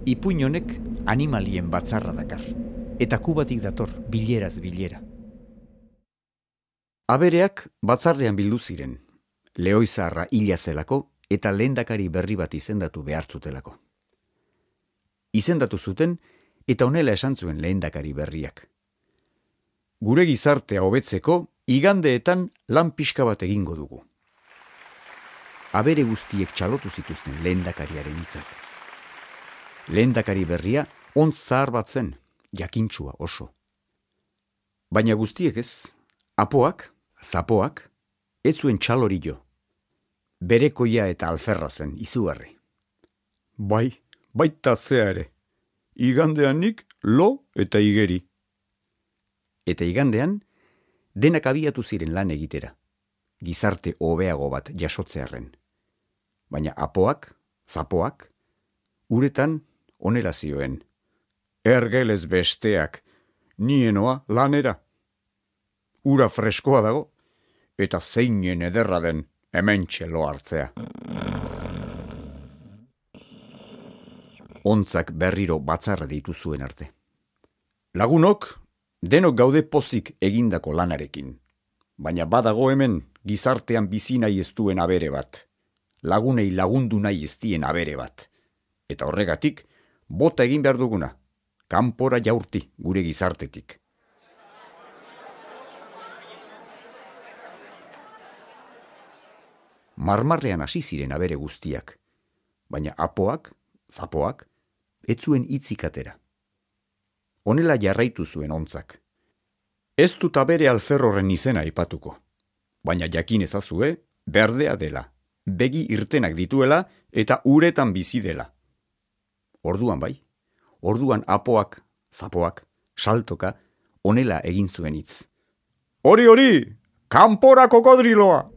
Ipuin honek animalien batzarra dakar, eta Kubatik dator bileraz bilera. Abereak batzarrean bildu ziren, Lehoizarra hila zelako eta lehendakari berri bat izendatu behartzutelako. Izendatu zuten eta honela esan zuen lehendakari berriak. Gure gizartea hobetzeko igandeetan lan pixka bat egingo dugu. Abere guztiek txalotu zituzten lehendakariaren hitzak. Lehendakari berria ontz zahar bat zen, jakintsua oso. Baina guztiek ez, apoak, zapoak, ez zuen txalori jo. Berekoia eta alferra zen, izugarri. Baita zea ere. Igandean nik lo eta igeri. Eta igandean, denak abiatu ziren lan egitera, gizarte hobeago bat jasotzearren. Baina apoak, zapoak, uretan honela zioen. Ergelez besteak, nienoa lanera. Ura freskoa dago, eta zeinen ederra den hementxe lo hartzea. Ontzak berriro batzarra ditu zuen arte. Lagunok, denok gaude pozik egindako lanarekin. Baina badago hemen gizartean bizi nahi ez duen abere bat. Lagunei lagundu nahi ez dien abere bat. Eta horregatik, bota egin behar duguna. Kanpora jaurti gure gizartetik. Marmarrean hasi ziren abere guztiak. Baina apoak, zapoak, ez zuen hitzik atera. Honela jarraitu zuen ontzak. Ez dut abere alferroren izena aipatuko. Baina jakin ezazue, berdea dela. Begi irtenak dituela eta uretan bizi dela. Orduan bai, orduan apoak, zapoak, saltoka, honela egin zuen hitz. Hori, kanpora kokodriloa!